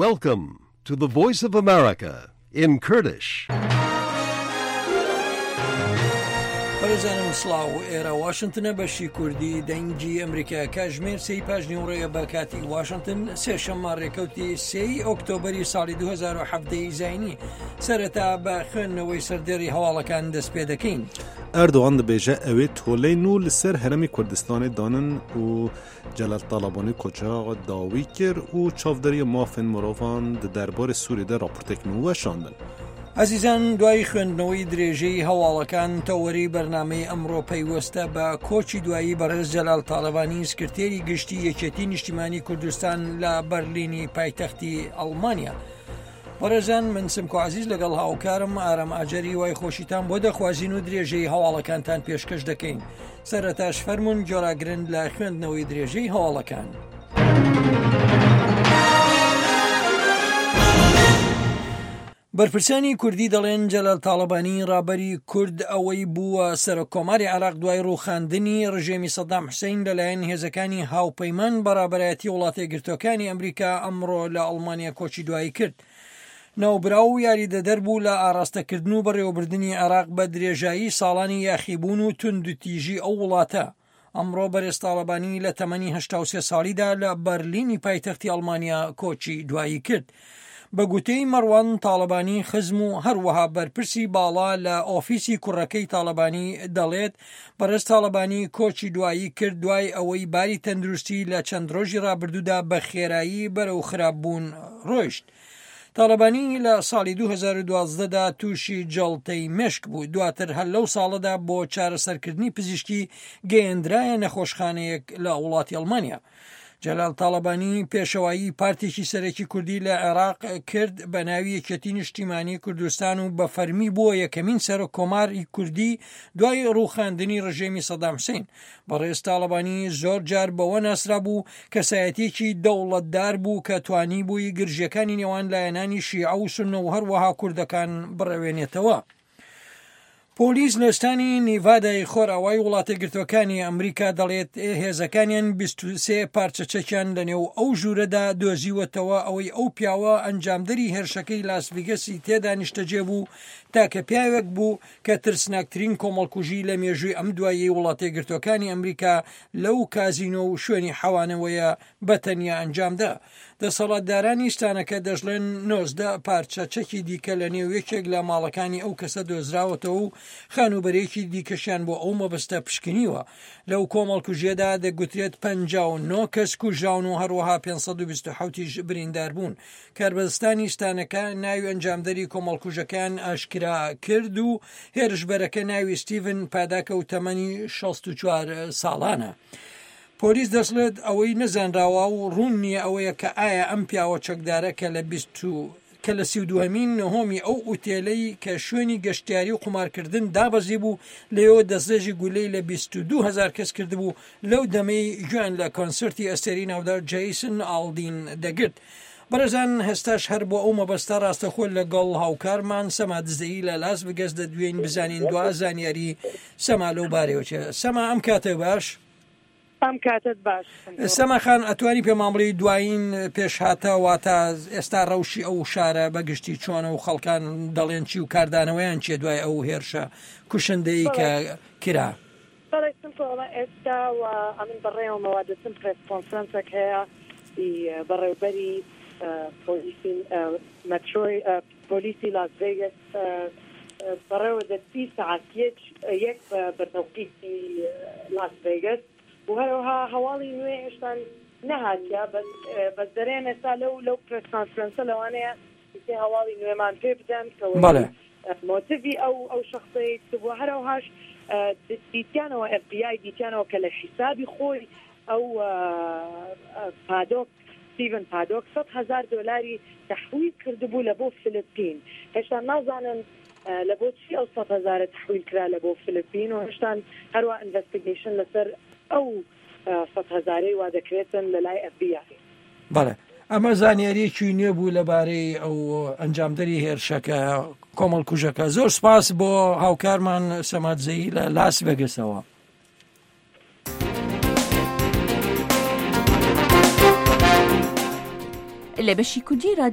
Welcome to the Voice of America in Kurdish. بەڕێزانم سڵاو ئێرە واشنتنە بەشی کوردی دەنگی ئەمریکا کاژمێر سێی پاش نیوڕێیە بە کاتی واشنتن سێشەممە ڕێکەوتی سێی ئۆکتۆبەری ساڵی 2017 زینی سەرەتا بە خوێندنەوەی سەردێڕی هەواڵەکان دەست پێ دەکەین. ئەردۆغان دەبێژە ئەوێ تۆلەی نوو لەسەر هەرێمی کوردستانێ دانن و جەلال تاڵەبانی koça dawî kir û çavdêriya mafên mirovan di derbarê Sûriyê de raportek nû weşandin. ئازیزان دوای خوێندنەوەی درێژەی هەواڵەکان تەوەرەی بەرنامەی ئەمڕۆ پەیوەستە بە کۆچی دوایی بەڕێز جەلال تاڵەبانی سکرتێری گشتی یەکێتی نیشتیمانی کوردستان لە بەرلینی پایتەختی ئەڵمانیا. بەڕێزان من سمکۆ عزیز لەگەڵ هاوکارم ئارام ئاجەری وای خۆشیتان بۆ دەخوازین و درێژەی هەواڵەکانتان پێشکەش دەکەین سەرەتاش فەرمونون جۆراگرن لە خوێندنەوەی درێژەی هەواڵەکان. بەرپرسانی کوردی دەڵێن جەلال تاڵەبانی ڕابەری کورد ئەوەی بووە سەرۆک کۆماری عێراق دوای ڕووخاندنی ڕژێمی سەدام حوسەین لەلایەن هێزەکانی هاوپەیمان بە ڕابەرایەتی وڵاتەیەکگرتووەکانی ئەمریکا ئەمڕۆ لە ئەڵمانیا کۆچی دوایی کرد. ناوبراو یاریدەدەر بوو لە ئاراستەکردن و بەڕێوەبردنی عێراق بە درێژایی ساڵانی یاخیبوون و توندوتیژی ئەو وڵاتە. ئەمڕۆ بەرێز تاڵەبانی لە تەمەنی 83 ساڵیدا لە بەرلینی پایتەختی ئەڵمانیا کۆچی دوایی کرد. بە گوتەی مەڕوان تاڵەبانی خزم و هەروەها بەرپرسی باڵا لە ئۆفیسی کوڕەکەی تاڵەبانی دەڵێت بەڕێز تاڵەبانی کۆچی دوایی کرد دوای ئەوەی باری تەندروستی لە چەند ڕۆژی ڕابردوودا بە خێرایی بەرەو خراپبوون ڕۆیشت. تاڵەبانی لە ساڵی 2012 دا تووشی جەڵتەی مێشک بوو، دواتر هەر لەو ساڵەدا بۆ چارەسەرکردنی پزیشکی گەیەندرایە نەخۆشخانەیەک لە وڵاتی ئەڵمانیا. جەلال تاڵەبانی پێشەوایی پارتێکی سەرەکی کوردی لە عێراق کرد بە ناوی یەکێتی نیشتیمانی کوردستان و بە فەرمی بووە یەکەمین سەرۆک کۆماری کوردی دوای ڕووخاندنی ڕژێمی سەدام حوسین. بەڕێز تاڵەبانی زۆر جار بەوە ناسرابوو کەسایەتیەکی دەوڵەتدار بوو کە توانیبووی گرژیەکانی نێوان لایەنانی شیعە و سوننە و هەروەها کوردەکان بڕەوێنێتەوە. پۆلیس لە ستانی نیڤادای خۆرئاوای وڵاتەیەکگرتووەکانی ئەمریکا دەڵێت هێزەکانیان 23 پارچە چەکیان لەنێو ئەو ژوورەدا دۆزیوەتەوە ئەوەی ئەو پیاوە ئەنجامدەری هێرشەکەی لاس ڤیگەسی تێدا نیشتەجێ بوو تاکە پیاوێک بوو کە ترسناکترین کۆمەڵکوژی لە مێژووی ئەم دواییەی وڵاتەیەکگرتووەکانی ئەمریکا لەو کازینۆ و شوێنی حەوانەوەیە بە تەنیا ئەنجامدا. دەسەڵاتدارانی ستانەکە دەشڵێن 19 پارچە چەکی دیکە لە نێو یەکێک لە ماڵەکانی ئەو کەسە دۆزراوەتەوە و خانووبەرەیەکی دیکەشیان بۆ ئەو مەبەستە پشکنیوە. لەو کۆمەڵکوژیەدا دەگوترێت 59 کەس کوژراون و هەروەها 527 یش بریندار بوون. کاربەدەستانی ستانەکە ناوی ئەنجامدەری کۆمەڵکوژەکەیان ئاشکرا کرد و هێرشبەرەکە ناوی ستیڤن پاداکە و تەمەنی 64 ساڵانە. پۆلیس دەشڵێت ئەوەی نەزانراوە و ڕوون نییە ئەوەیە کە ئایا ئەم پیاوە چەکدارە کە لە 20 کە لە 32مین نهۆمی ئەو ئوتێلەی کە شوێنی گەشتیاری و قومارکردن دابەزیبوو لەوێوە دەستڕێژی گولەی لە 22 هەزار کەس کردبوو لەو دەمەی گوێیان لە کۆنسێرتی ئەستێرەی ناودار جەیسن ئاڵدین دەگرت. بەڕێزان هێستاش هەر بۆ ئەو مەبەستە ڕاستەخۆ لەگەڵ هاوکارمان سەما دزەیی لە لاس ڤگەس دەدوێین بزانین دوا زانیاری سەما لەو بارەیەوە چیە. سەما ئەم کاتە باش. ئەم کاتەت باش. سەما خان ئەتوانی پێمان بڵێی دوایین پێشهاتە واتە ئێستا ڕەوشی ئەو شارە بە گشتی چۆنە و خەڵکان دەڵێن چی و کاردانەوەیان چیە دوای ئەو هێرشە کوشندەی کە کرا؟ بەڵێ سمکۆ ئەڵێ ئێستا و ئەمن بەڕێوەمەوە دەچم پرێس کۆنفرەنسێک هەیە ئی بەڕێوبەری پۆلیسی مەترۆی پۆلیسی لاس ڤێگەس بەڕێوە دەچی سەعات یەک یەک بە تەوقیتی لاس ڤێگەس و هەرەوها هەواڵی نوێ هێشتان نەهاتیە بەس بەس دەرێن ئێستا لەو لەو پرێس کۆنفرەنسە لەوانەیە سێ هەواڵی نوێمان پێ بدەن کە بەڵێ. مۆتیڤی ئەو ئەو شەخسەی چ بووە هەرەوهاش دیتیانەوە ئێف بی ئای دیتیانەوە کە لە حیسابی خۆی ئەو پادۆک ستیڤن پادۆک 100 هەزار دۆلاری تەحویل کردبوو لە بۆ فلپین هێشتا نازانن لە بۆ چی ئەو 100 هەزارە تەحویل کرا لە بۆ فلپین و هێشتان هەروا ئینڤستیگەیشن لەسەر ئەو سەت هەزارەی وا دەکرێتن لە لای ئێف بی ئای. بەڵێ ئەمە زانیاریەکی نوێ بوو لەبارەی ئەو ئەنجامدەری هێرشەکە کۆمەڵکوژەکە زۆر سپاس بۆ هاوکارمان سەماد زەیی لە لاس ڤێگەسەوە. لە بەشی کوردی رادیۆ.